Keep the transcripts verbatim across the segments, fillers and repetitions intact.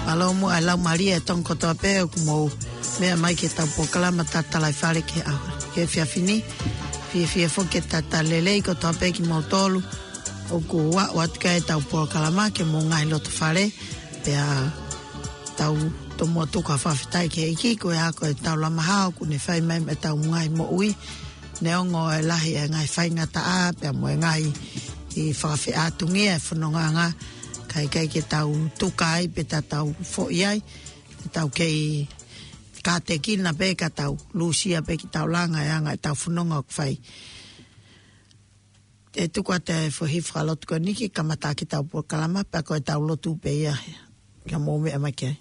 Mālō muʻa e laumālie ʻa e Tonga kotoa pē ʻoku mou meʻa mai ki heʻetau polokalama Tatalaifale ki he ʻaho, ki he efiafi ni. Fiefia foki ke talitali lelei kotoa pē kimoutolu ʻoku aʻu atu ki heʻetau polokalama ki homou ngaahi loto fale. Pea tau tomuʻa tuku ha fakafetaʻi ki he ʻEiki, ko e hā, ko e taulama hao ʻoku ne fai mai maʻa ʻetau ngaahi moʻui. Neongo e lahi e ngaahi faingataʻa pea mo e ngaahi fakafeʻātungia e fonongaʻanga, ka ʻikai ke tau tuka ai pe te tau foʻi ai, ke tau kei kātekina pē ka tau lūsia pē ki taulanga e anga ʻetau fononga ʻoku fai. Te u tuku atu e foʻi fakalotu ko eni ke kamata ʻaki ʻetau polokalama, pea ko ʻetau lotu pē ia. Ka mou meʻa mai ki ai.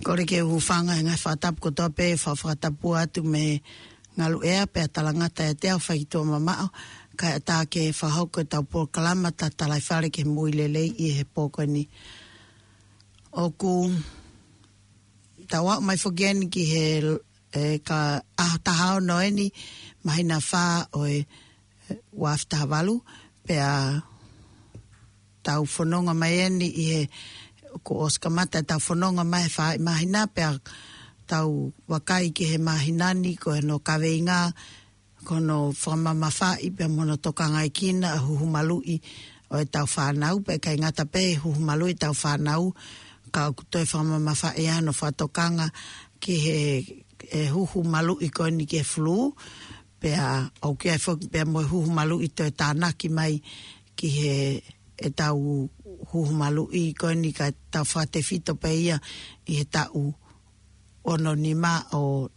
Kole ke u hūfanga he ngaahi fakatapu kotoa pē, fa-, fakatapu atu mei Ngaluʻea pea talangata ʻiate au fai tuʻa mamaʻo, kae ʻatā ke fakahoko ʻetau polokalama tatalaifale ki he moʻui lelei ʻi he pō ko eni. ʻOku tau aʻu mai foki eni ki he, e, ka ʻaho taha ono eni, māhina fā ʻo e, e, ua afe taha valu, pea tau fononga mai eni ʻi he, kuo ʻosi kamata ʻetau fononga mai he fā māhina, pea tau vakai ki he māhina ni ko hono kaveinga, ko hono fakamamafaʻi pea mo hono tokangaekina ʻa e huhu maluʻi ʻo ʻetau fānau, pea ʻikai ngata pē huhu maluʻi ʻetau fānau, ka ʻoku toe fakamamafaʻi ʻa hono fakatokanga ki he, e huhu maluʻi ko eni ki he fulū, pea ʻoku ʻi ai foki pea mo e huhu maluʻi toe tānaki mai ki he, ʻetau huhu maluʻi ko eni ka tau fakatefito pē ia ʻi he taʻu ono nima ʻo,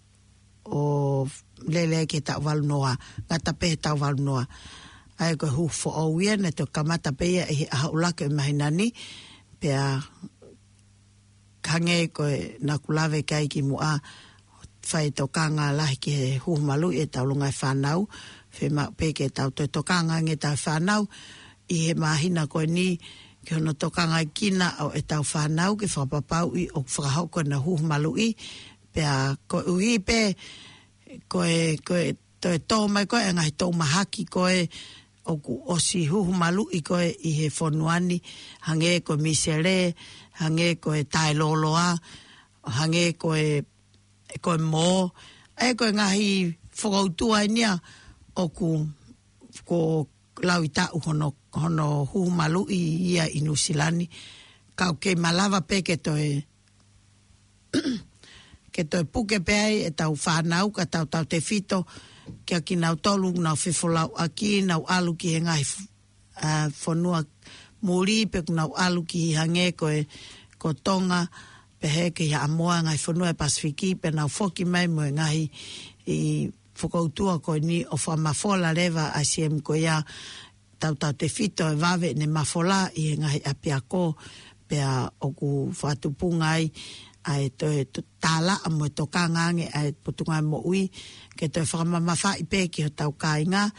ʻo lele ki he taʻu valu noa, ngata pē he taʻu valu noa. ʻA ia ko e huhu foʻou ia naʻe toe kamata pē ia ʻi he ʻaho ʻuluaki ʻo e māhina ni, pea hangē ko e naʻa ku lave ki ai kimuʻa, fai tokanga lahi ki he huhu maluʻi ʻetau longaʻi fānau, fiemaʻu pē ke tau toe tokanga ange ʻetau fānau ʻi he māhina ko eni ki hono tokangaekina ʻo ʻetau fānau ke fakapapauʻi ʻoku fakahoko ʻena huhu maluʻi, pea koeʻuhi pē ko e, ko e toe tō mai ko ē ʻa e ngaahi toʻu mahaki ko ē ʻoku ʻosi huhu maluʻi ko ē ʻi he fonua ni, hangē ko e misele, hangē ko e taeloloa, hangē ko e, ko e mō, ʻa ia ko e ngaahi fokoutua eni ia ʻoku, ko e lauʻi taʻu hono, hono huhu maluʻi ia ʻi Nuʻusila ni, ka ʻoku kei malava pē ke toe ke toe puke pē ai ʻetau fānau ka tau tautefito kia kinautolu ʻoku nau fefolauʻaki, nau ʻalu ki he ngaahi f-, ʻa, fonua muli pe ʻoku nau ʻalu ki hangē ko e, ko Tonga, pehē ki Haʻamoa, ngaahi fonua ʻo e Pasifiki, pea nau foki mai mo e ngaahi, ʻi, fokoutua ko eni ʻo fakamafola leva ʻa e I C M ko ia, tau tautefito e vave ʻene mafola ʻi he ngaahi ʻapiako, pea ʻoku fakatupunga ai ʻa e toe to-, tālaʻa mo e tokanga ange ʻa e Potungāue Moʻui, ke toe fakamamafaʻi pē ki hotau kāinga,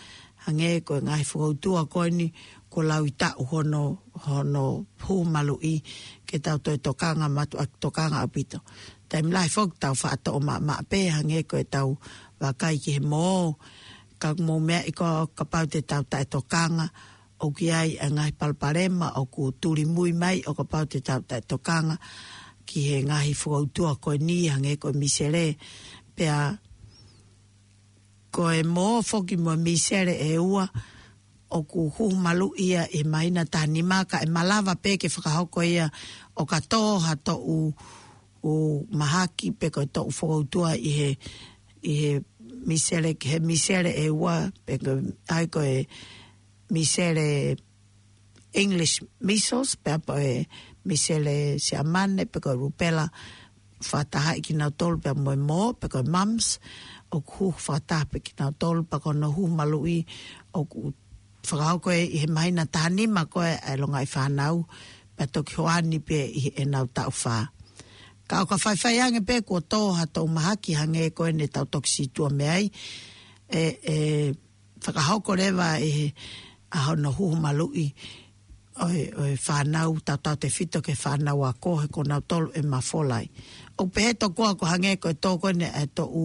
hangē ko e ngaahi fokoutua ko eni kuo lauʻi taʻu hono, hono huhu maluʻi, ke tau toe tokanga mātuʻaki tokanga ʻaupito. Taimi lahi foki tau faʻa toʻo maʻamaʻa pē, hangē ko ʻetau vakai ki he mō, ka ʻoku mou meaʻi ko ē kapau te tau taʻetokanga, ʻoku ʻi ai ʻa e ngaahi palopalema ʻoku tulimui mai ʻo kapau te tau taʻetokanga ki he ngaahi fokoutua ko eni hangē ko e misele, pea ko e mō foki mo e misele ʻe ua, ʻoku huhu maluʻi ia ʻi he māhina taha nima ka ʻe malava pē ke fakahoko ia ʻo ka tō ha toʻu, ʻū mahaki pe ko e toʻu fokoutua ʻi he, ʻi he misele, he misele ʻe ua, pe ko e, ʻa ia ko e misele English measles, pea mo e misele Siamane, pe ko e rubella, fakatahaʻi kinautolu pea mo e mō, pe ko e mumps, ʻoku huhu fakataha pē kinautolu, pea ko hono huhu maluʻi ʻoku fakahoko ʻi he māhina taha nima ko ē ʻa e longaʻi fānau, pea toki hoani pē ʻi heʻenau taʻu fā. Ka ʻo ka faifai ange pē kuo tō ha toʻu mahaki hangē ko ē ne tau toki sītuʻa mei ai, ʻe, ʻe fakahoko leva ʻe he, ʻa hono huhu maluʻi ʻo e, ʻo e fānau, tau tautefito ki he fānau ako he ko nautolu ʻe mafola ai. ʻOku pehē tokua ko e hangē ko e tō ko eni ʻa e toʻu,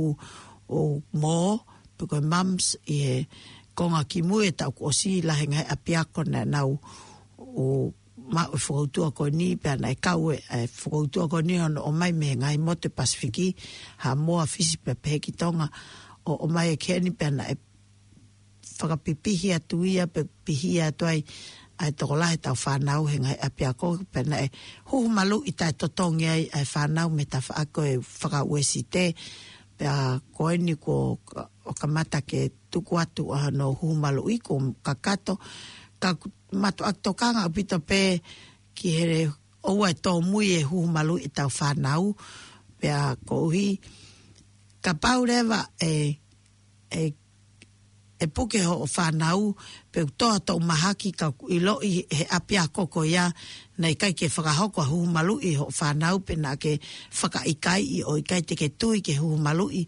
ʻū mō, pe ko e mumps ʻi he konga kimui ʻo e taʻu kuo ʻosi, lahi e ngaahi ʻapiako naʻa nau ō maʻu e fokoutua ko eni, pea naʻe kau e, e fokoutua ko eni hono ʻomai mei he ngaahi motu ʻo e Pasifiki, Haʻamoa, Fisi pea pehē ki Tonga, ʻo ʻomai ki heni pea naʻe fakapipihi atu ia pe pihi atu ai ʻa e tokolahi ʻetau fānau he ngaahi ʻapiako, pea naʻe huhu maluʻi taʻetotongi ai ʻa e fānau mei he tafaʻaki ʻo e faka-Uēsite, pea ko eni kuo ka-, ʻo kamata ke tuku atu ʻa hono huhu maluʻi kuo kakato, ka mātuʻaki tokanga ʻaupito pē ki he ʻoua ʻe tōmui e huhu maluʻi ʻetau fānau, pea koeʻuhi, kapau leva ʻe, ʻe ʻe puke hoʻo fānau, pe ʻoku toʻa toʻu mahaki ka ʻoku ʻiloʻi he ʻapiako ko ia, naʻe ʻikai ke fakahoko ʻa e huhu maluʻi hoʻo fānau, pe naʻa ke fakaʻikaiʻi ʻo ʻikai te ke tui ke huhu maluʻi,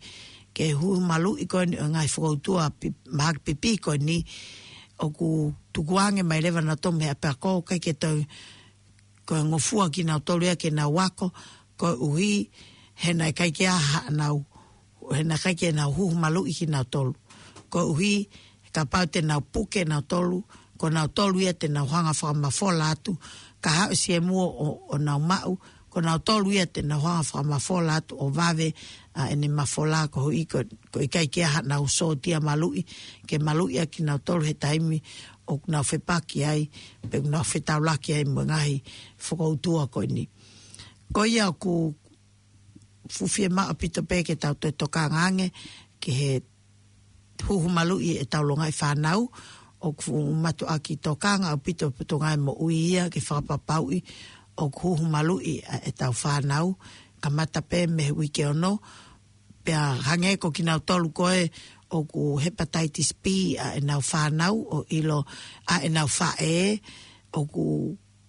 ke huhu maluʻi ko eni ʻo e ngaahi fokoutua pi-, mahaki pipī ko eni, ʻoku tukuange mai leva nautolu mei he ʻapiako, ʻikai ke toe ko e ngofua kinautolu ia ke nau ako, koeʻuhi he naʻe ʻikai ke ʻi ai haʻanau, he naʻe ʻikai ke nau huhu maluʻi kinautolu. Koeʻuhi, kapau te nau puke nautolu, ko nautolu ia te nau hanga fakamafola atu, ka haʻu e siemu ʻo, ʻo nau maʻu, ko nautolu ia te nau hanga fakamafola atu ʻo vave ʻa ʻene mafola koeʻuhi ko, ko e ʻikai ke ʻi ai haʻanau sōtia maluʻi, ke maluʻi ʻaki kinautolu he taimi ʻoku nau fepaki ai, pe ʻoku nau fetaulaki ai mo e ngaahi fokoutua ko eni. Ko ia ʻoku fuʻu fiemaʻu ʻaupito pē ke tau toe tokanga ange, ki he huhu maluʻi ʻetau longaʻi fānau, ʻoku fuʻu mātuʻaki tokanga ʻaupito ʻa e Potungāue Moʻui ia ke fakapapauʻi ʻoku huhu maluʻi ʻa ʻetau fānau, kamata pē mei he uike ono, pea hangē ko kinautolu ko ē ʻoku hepatitis B ʻa ʻenau fānau ʻo ʻilo ʻa ʻenau faʻē, ʻoku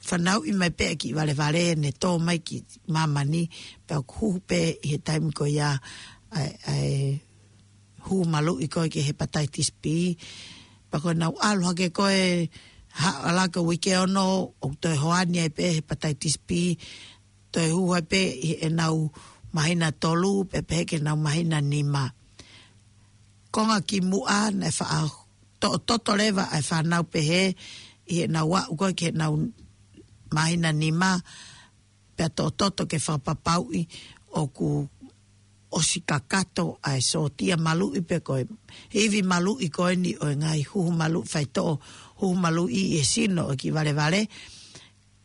fanauʻi mai pē ʻa e kiʻi valevale ne tō mai ki māmani, pea ʻoku huhu pē ʻi he taimi ko ia ʻa e, ʻa e huhu maluʻi ko ē ki he hepatitis B. Pea ko ʻenau ʻalu hake ko ē ha-, ʻalu hake uike ono, ʻoku toe hoani ai pē hepatitis B, toe huhu ai pē ʻi heʻenau māhina tolu, pea pehē ki heʻenau māhina nima. Konga kimuʻa naʻe faʻa toʻototo leva ʻa e fānau pehē ʻi heʻenau aʻu ko ē ki heʻenau māhina nima, pea toʻototo ke fakapapauʻi ʻoku ʻosi kakato ʻa e sōtia maluʻi pe ko e ivi maluʻi ko eni ʻo e ngaahi huhu maluʻi faitoʻo, huhu maluʻi ʻi he sino ʻo e kiʻi valevale.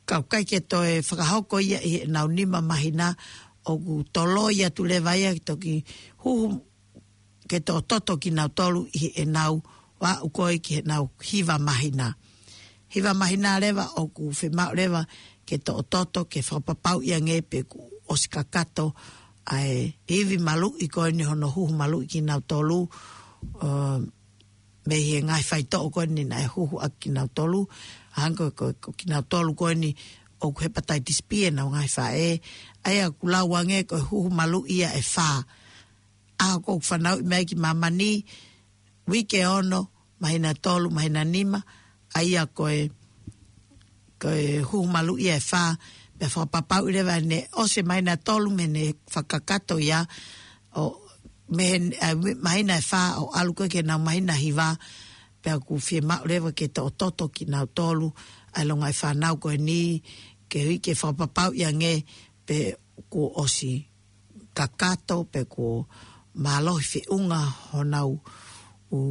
Ka ʻoku ʻikai ke toe fakahoko ia ʻi heʻenau nima māhina, ʻoku toloi atu leva ia ke toki huhu, ke toʻototo kinautolu ʻi heʻenau aʻu ko ē ki heʻenau hiva māhina. Hiva māhina leva ʻoku fiemaʻu leva ke toʻototo ke fakapapauʻi ange pe kuo ʻosi kakato ʻa e ivi maluʻi ko eni hono huhu maluʻi kinautolu, ʻo, mei he ngaahi faitoʻo ko eni naʻe huhu ʻaki kinautolu, hangē ko, ko, ko kinautolu ko eni ʻoku hepatitis B ʻenau ngaahi faʻē, ʻa ia ʻoku lau ange ko e huhu maluʻi ia ʻe fā. ʻAho ko ē ʻoku fanauʻi mai ki māmani, uike ono, māhina tolu, māhina nima, ʻa ia ko e, ko e huhu maluʻi ia ʻe fā, pea fakapapauʻi leva ʻene ʻosi e māhina tolu mei heʻene fakakakato ia, ʻo mei he, ʻa, māhina ʻe fā ʻo ʻalu ko ē ki heʻenau māhina hiva, pea ʻoku fiemaʻu leva ke toʻototo kinautolu ʻa e longaʻi fānau ko eni, koeʻuhi ke fakapapauʻi ange pe kuo ʻosi kakato pe kuo mālohi feʻunga honau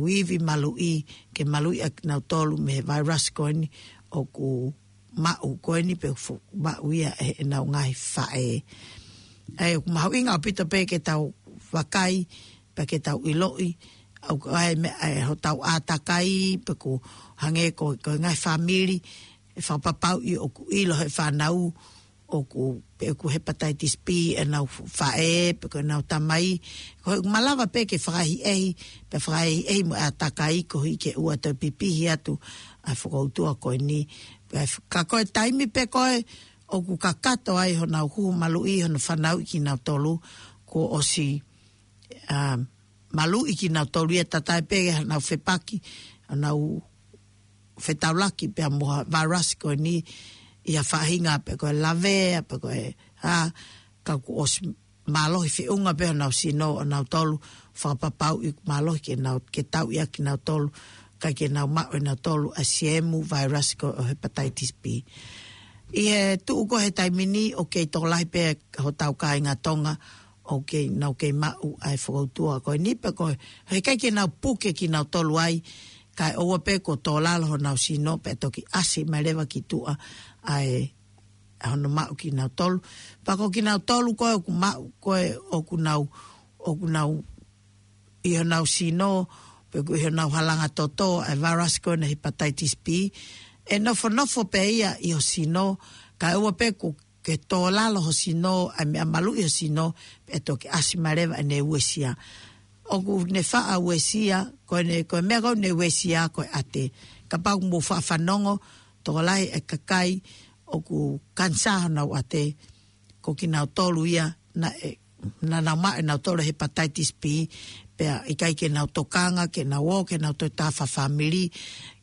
ivi maluʻi, ke maluʻi ʻa kinautolu mei he virus ko eni ʻoku maʻu ko eni pe fu-, maʻu ia ʻe heʻenau ngaahi faʻē. ʻA ia ʻoku mahuʻinga ʻaupito pē ke tau vakai, pea ke tau ʻiloʻi, ʻoku ʻi ai e meʻa ʻa hotau ʻātakai, pe ko e hangē ko, ko e ngaahi fāmili, ʻe fakapapauʻi ʻoku ʻilo ʻe he fānau, ʻoku, pe ʻoku hepatitis B ʻenau faʻē, pe ko ʻenau tamai, ko e malava pē ke fakaʻehiʻehi, pea fakaʻehiʻehi mo e ʻātakai koeʻuhi ke ʻoua toe pipihi atu ʻa e fokoutua ko eni. Pea f-, ka ko e taimi pē ko ē ʻoku kakato ai honau huhu maluʻi, hono fanauʻi kinautolu, kuo ʻosi, ʻa, maluʻi kinautolu ia, tatai pē honau fepaki, honau fetaulaki pea mo e virus ko eni ʻi ha faʻahinga pe ko e lavea, pe ko e, ʻa, ka kuo ʻosi mālohi feʻunga pē honau sino ʻonautolu, fakapapauʻi mālohi ke nau, ke tauʻi ʻa kinautolu, kae ʻikai ke nau maʻu ʻe nautolu ʻa e siemu virus ko ē ʻo hepatitis B. ʻI he tuʻu ko ē he taimi ni ʻoku kei tokolahi pē hotau kāinga Tonga ʻoku kei, nau kei maʻu ʻa e fokoutua ko eni pe ko e, heʻikai ke nau puke kinautolu ai, kae ʻoua pē kuo tō lalo honau sino pea toki ʻasi mai leva ki tuʻa ʻa e, ʻa hono maʻu kinautolu. Pea ko kinautolu ko ē ʻoku maʻu, ko ē ʻoku nau, ʻoku nau ʻi honau sino, pe ko ʻi honau halanga toto ʻa e virus ko ena hepatitis B, ʻe nofonofo pē ia ʻi ho sino, kae ʻoua pē kuo ke tō lalo ho sino, ʻa e meʻa maluʻi ho sino, pea toki ʻasi mai leva ʻene uesia. ʻoku ne faʻa uesia, ko ʻene, ko e meʻa ko ē ne uesia ko e ʻate. Kapau ʻoku mou faʻa fanongo, tokolahi e kakai ʻoku kanisā honau ʻate, ko kinautolu ia naʻe, naʻa nau maʻu ʻenautolu hepatitis B, pea ʻikai ke nau tokanga, ke nau ō, ke nau toe tā fāmili,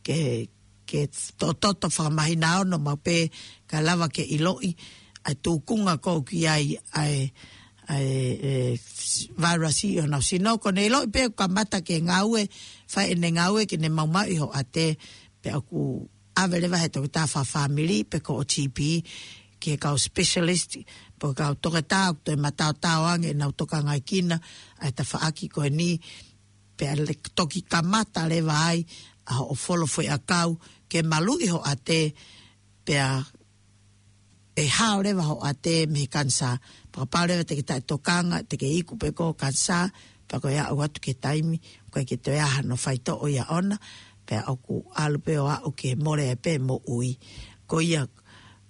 ke, ke toʻotoʻo fakamahina ono mau pē kae lava ke ʻiloʻi ʻa e tūkunga ko ē ʻoku ʻi ai ʻa e, ʻa e, e, vairasi ʻi honau sino. Ko ʻene ʻiloʻi pē ʻoku kamata ke ngāue, fai ʻene ngāue ke ne maumauʻi hoʻate, pea ʻoku ʻave leva he toketā fāmili pe ko e G P, ki he kau specialist, pe ko e kau toketā ʻoku toe mataotao ange ʻenau tokangaʻi kinautolu ʻa e tafaʻaki ko eni, pea le toki kamata leva ai ʻa hoʻo folo foʻiʻakau ke maluʻi hoʻate, pea ʻe hao leva hoʻate mei he kanisā. Pea kapau leva te ke taʻetokanga, te ke iku pē koe kanisā, pea ko e aʻu atu ki he taimi, ʻoku ʻikai ke toe ʻi ai hano faitoʻo ia ʻona, pea ʻoku ʻalu pē ʻo aʻu ki he mole ai pē moʻui. Ko ia,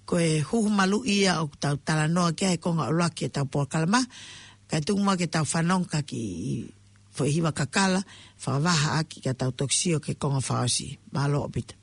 ko e huhu maluʻi ia ʻoku tau talanoa ki ai he konga ʻuluaki ʻetau polokalama, kae tuku muʻa ke tau fanongo ki he kiʻi foʻi hiva kakala, fakavahaʻaki ka tau toki sio ki he konga fakaʻosi. Mālō ʻaupito.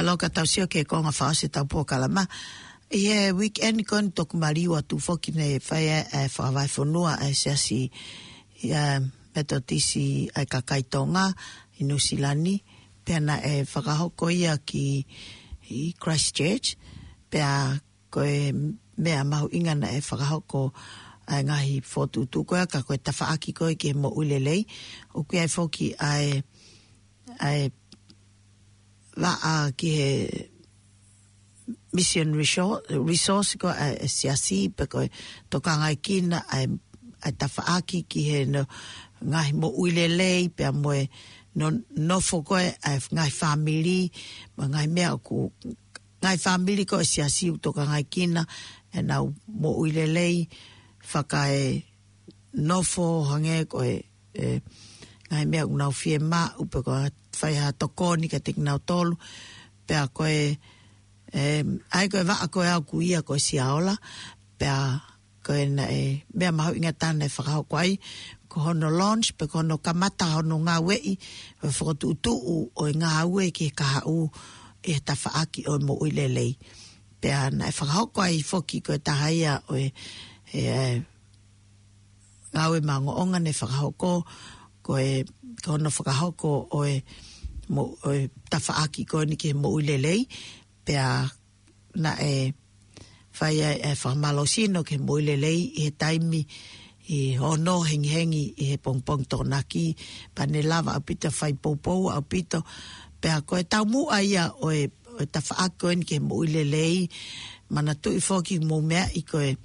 Loka tau sio ki he konga fakaʻosi ʻetau polokalama. ʻI he weekend ko eni toku maliu atu foki ne fai ai e fakavahefonua ʻa e Siasi ʻa e Metotisi ʻa e kakai Tonga ʻi Nuʻusila ni. Pea naʻe fakahoko ia ki ʻi Christchurch. Pea ko e meʻa mahuʻinga naʻe fakahoko ʻa e ngaahi fokotuʻutuʻu ko ia ka ko e tafaʻaki ko ē ki he moʻui lelei. ʻOku ʻi ai foki ʻa e, ʻa e vaʻa ki he mission resor-, resource ko ē ʻa e Siasi pe ko e tokangaekina ʻa e, ʻa e tafaʻaki ki he no, ngaahi moʻui lelei pea mo e no, nofo ko ē ʻa e ngaahi fāmili, mo e ngaahi meʻa ʻoku, ngaahi fāmili ko ē Siasi ʻoku tokangaekina ʻenau moʻui lelei, fakaenofo hangē ko e, e, ngaahi meʻa ʻoku nau fiemaʻu pe ko e fai ha tokoni kiate kinautolu. Pea ko e, e, ʻa ia ko e vaʻa ko ē ʻoku ui ia ko e Siaola, pea ko e naʻe, meʻa mahuʻinga taha naʻe fakahoko ai, ko hono launch pe ko hono kamata hono ngāueʻi ʻo e fokotuʻutuʻu ʻo e ngāue ki he kahaʻu ʻi he tafaʻaki ʻo e moʻui lelei. Pea naʻe fakahoko ai foki ko e taha ia ʻo e, e, e, ngāue maʻongoʻonga naʻe fakahoko, ko e, ko hono fakahoko ʻo e, mo, ʻo e tafaʻaki ko eni ki he moʻui lelei, pea naʻe fai ai e fakamālohisino ki he moʻui lelei ʻi he taimi ʻi he ono hengihengi ʻi he pongipongi Tokonaki, pea ne lava ʻaupito fai poupou ʻaupito, pea ko e taumuʻa ia ʻo e, ʻo e tafaʻaki ko eni ki he moʻui lelei, manatuʻi foki mou meaʻi ko e,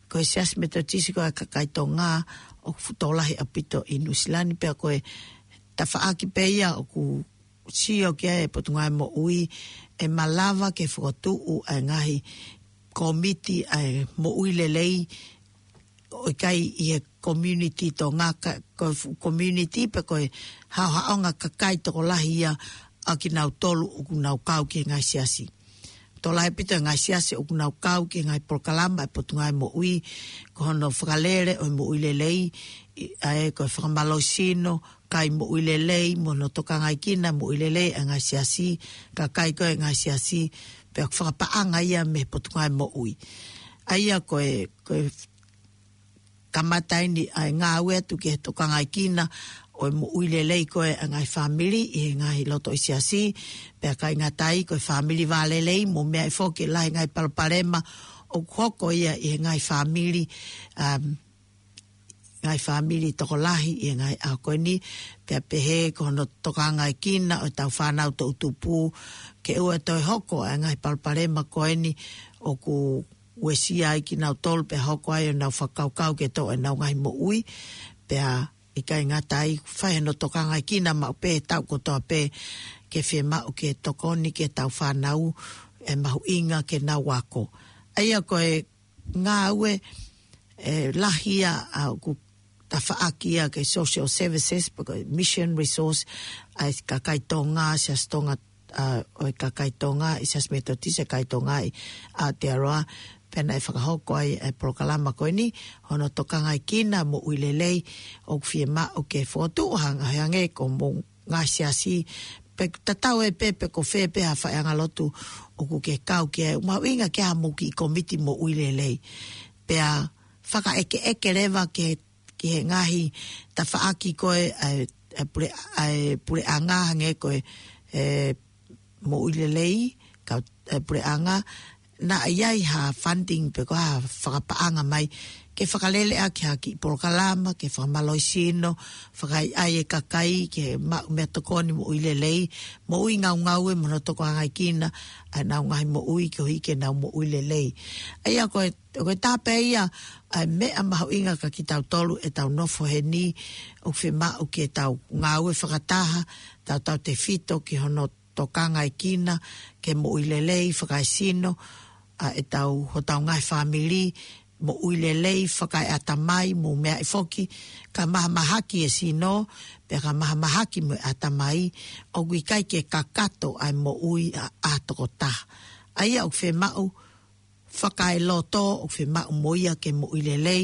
ko e Siasi Metotisi ko ē ʻa e kakai Tonga ʻoku tokolahi ʻaupito ʻi Nuʻusila ni pea ko e tafaʻaki pē ia ʻoku sio ki ai e Potungāue Moʻui ʻe malava ke fokotuʻu ʻa e ngaahi kōmiti ʻa e moʻui lelei ʻo ʻikai ʻi he community Tonga ka, ko e fuʻu community pe ko e haʻohaʻonga kakai tokolahi ia ʻa kinautolu ʻoku nau kau ki he ngaahi siasi. Tokolahi ʻaupito e ngaahi siasi ʻoku nau kau ki he ngaahi polokalama ʻa e Potungāue Moʻui, ko hono fakalele ʻo e moʻui lelei, ʻi, ʻa e ko e fakamālohisino, kai moʻui lelei, mo hono tokangaekina moʻui lelei ʻa e ngaahi siasi, kakai ko ē ngaahi siasi, pea ʻoku fakapaʻanga ia mei he Potungāue Moʻui. ʻA ia ko e, ko e kamata eni ʻa e ngāue atu ki he tokangaekina ʻo e moʻui lelei ko ē ʻa e ngaahi fāmili ʻi he ngaahi loto ʻi siasi, pea ʻikai ngata ai ko e fāmili vālelei, mou meaʻi foki e lahi e ngaahi palopalema ʻoku hoko ia ʻi he ngaahi fāmili, um, ngaahi fāmili tokolahi ʻi he ngaahi ʻaho ko eni, pea pehē ko hono tokangaekina ʻo e tau fānau toʻutupu, ke ʻoua toe hoko ʻa e ngaahi palopalema ko eni ʻoku uesia ai kinautolu pea hoko ai ʻenau fakakaukau ke toʻo ʻenau ngaahi moʻui, pea ʻikai ngata ai fai hono tokangaekina maʻu pē he taʻu kotoa pē ke fiemaʻu ke tokoni ki he tau fānau ʻe mahuʻinga ke nau ako. ʻA ia ko e ngāue, e, lahi ia ʻa ʻoku tafaʻaki ia ki he social services, pe ko e mission resource, ʻa e kakai Tonga, Siasi Tonga, ʻa, ʻo e kakai Tonga, ʻi Siasi Metotisi ʻa e kakai Tonga ʻi Aotearoa, pea naʻe fakahoko ai e polokalama ko eni, hono tokangaekina moʻui lelei, ʻoku fiemaʻu ke fokotuʻu hang-, hangē ko mou ngaahi siasi, pe tatau ai pē pe ko fē pē ha faʻeangalotu ʻoku ke kau ki ai, mahuʻinga ke ʻi ai hamou kiʻi kōmiti moʻui lelei. Pea fakaʻekeʻeke leva ke, ki he ngaahi tafaʻaki ko ē, ʻa e, ʻa e pule-, ʻa e puleʻanga hangē ko e, e, moʻui lelei, kau, e, puleʻanga, naʻa ʻi ai ha funding pe ko ha fakapaʻanga mai, ke fakalele ʻaki ha kiʻi polokalama, ke fakamālohisino, fakaʻaiʻai e kakai, ke maʻu meʻatokoni moʻui lelei, moʻui ngaungaue mo hono tokangaekina ʻa ʻenau ngaahi moʻui, koeʻuhi ke nau moʻui lelei. ʻA ia ko e, ko e taha pē ia ʻa e meʻa mahuʻinga kia kitautolu ʻetau nofo heni, ʻoku fiemaʻu ke tau ngāue fakataha, tautautefito ki hono tokangaekina ke moʻui lelei, fakaesino, ʻa ʻetau, hotau ngaahi fāmili, moʻui lelei, fakaeʻatamai, mou meaʻi foki, ka mahamahaki e sino, pea ka mahamahaki mo e ʻatamai, ʻoku ʻikai ke kakato ʻa e moʻui ʻa, ʻa e tokotaha. ʻA ia ʻoku fiemaʻu, fakaeloto, ʻoku fiemaʻu mo ia ke moʻui lelei,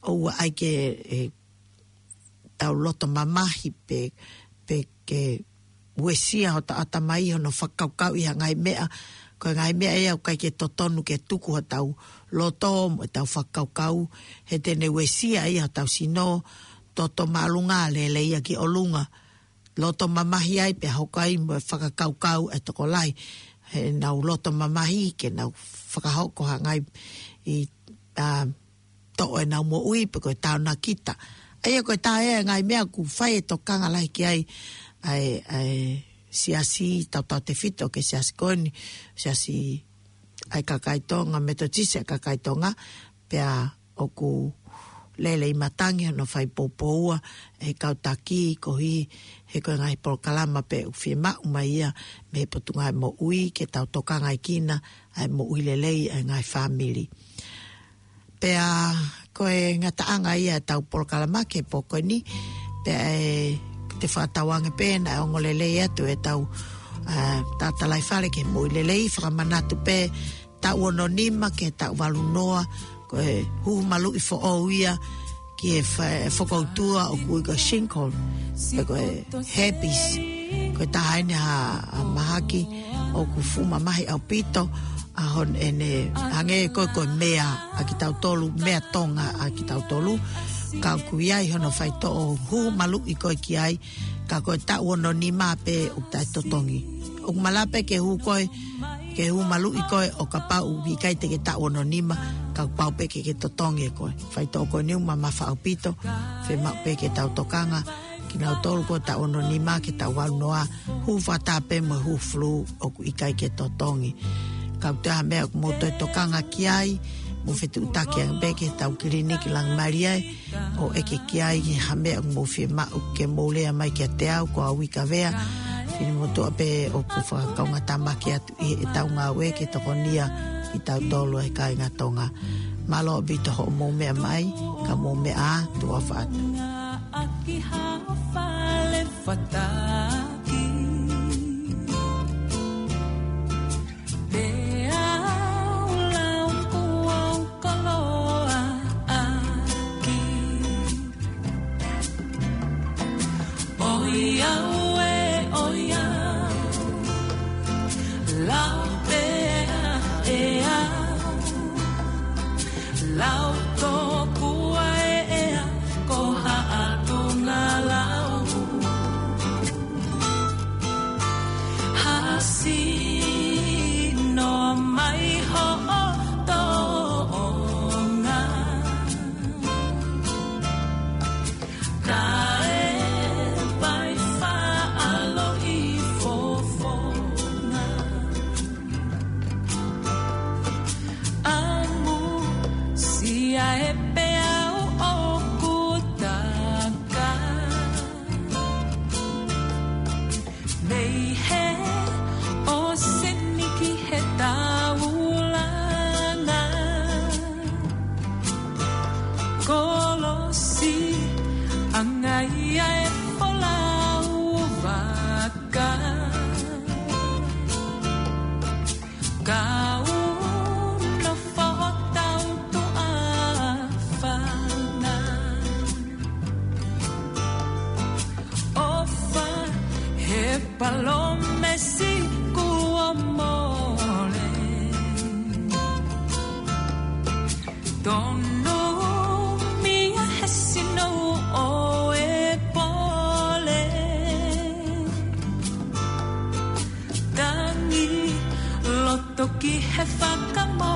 ʻoua ʻai ke, e, tau loto mamahi pe, pe ke uesia hotau ʻatamai hono fakakaukauʻi ha ngaahi meʻa. Ko e ngaahi meʻa ia ʻoku ʻikai ke totonu ke tuku hotau loto mo ʻetau fakakaukau, he te ne uesia ia hotau sino, toto māʻolunga, lele ia ki ʻolunga. Loto mamahi ai pea hoko ai mo e fakakaukau ʻa e tokolahi. He nau loto mamahi ke nau fakahoko ha ngaahi, ʻa, toʻo ʻenau moʻui pe ko e taonakita. ʻA ia ko e taha ia e ngaahi meʻa ʻoku fai e tokanga lahi ki ai ʻa e, ʻa e siasi tautautefito ki he siasi ko eni, siasi ʻa e kakai Tonga, Metotisi ʻa e kakai Tonga, pea ʻoku lelei matangi hono fai poupoua ʻe he kau taki koeʻuhi he ko e ngaahi polokalama pē ʻoku fiemaʻu mai ia mei he Potungāue Moʻui ke tau tokangaʻi kinaua ʻa e moʻui lelei ʻa e ngaahi fāmili. Pea ko e ngataʻanga ia ʻetau polokalama ki he pō ko eni, pea ʻe te fakatauange pē naʻe ongo lelei atu ʻetau, ʻa, tatalaifale ki he moʻui lelei. Fakamanatu pē, taʻu ono nima ki he taʻu valu noa, ko e huhu maluʻi foʻou ia ki he fa-, fokoutua ʻoku ui ko e shingles, pe ko e herpes. Ko e taha eni ha, ha mahaki ʻoku fuʻu mamahi ʻaupito, ʻa hono ʻene hangē ko e, ko e mea ʻa kitautolu, mea Tonga ʻa kitautolu. Ka ʻoku ʻi ai hono faitoʻo huhu maluʻi ko ē ki ai, ka ko e taʻu ono nima pē ʻoku taʻetotongi. ʻOku malava pē ke huhu koe, ke huhu maluʻi koe ʻo kapau ʻoku ʻikai te ke taʻu ono nima, ka kuo pau pē ke ke totongi ʻe koe. Faitoʻo ko eni ʻoku mamafa ʻaupito, fiemaʻu pē ke tau tokanga kinautolu ko e taʻu ono nima ki he taʻu valu noa, huhu fakataha pē mo e huhu flu ʻoku ʻikai ke totongi. Ka ʻoku ʻi ai ha meʻa ʻoku mou toe tokanga ki ai, mou fetuʻutaki ange pē ki heʻetau kiliniki Langimalie, ʻo ʻeke ki ai ha meʻa ʻoku mou fiemaʻu ke mou lea mai kiate au, ko au Ika Vea, finemotuʻa pē ʻoku fakakaungātāmaki atu ʻi heʻetau ngāue ke tokonia kitautolu ʻa e kāinga Tonga. Mālō ʻaupito hoʻomou meʻa mai, ka mou meʻa ā, tuʻa ʻofa atu. ʻAki ha fale fataki. Pea ʻoku lau kuo u koloa ʻaki. ʻOiauē, ʻoiau. Lau pē ʻe au. Lau tokua ʻe au, ko haʻaku ngaahi lau. Hasi no mai hoʻo toʻonga. Kae pai faʻaloʻi fofonga. ʻAmusia e peau ʻoku taka. Mei he ʻōseni ki he taulanga. Kolosi angaia e folau vaka. Kau nofo ʻo tau tuʻa fanga. ʻOfa he palōmesi kuo mole. Tonu mia he sino ʻo e pole. Tangi loto ki he fakamo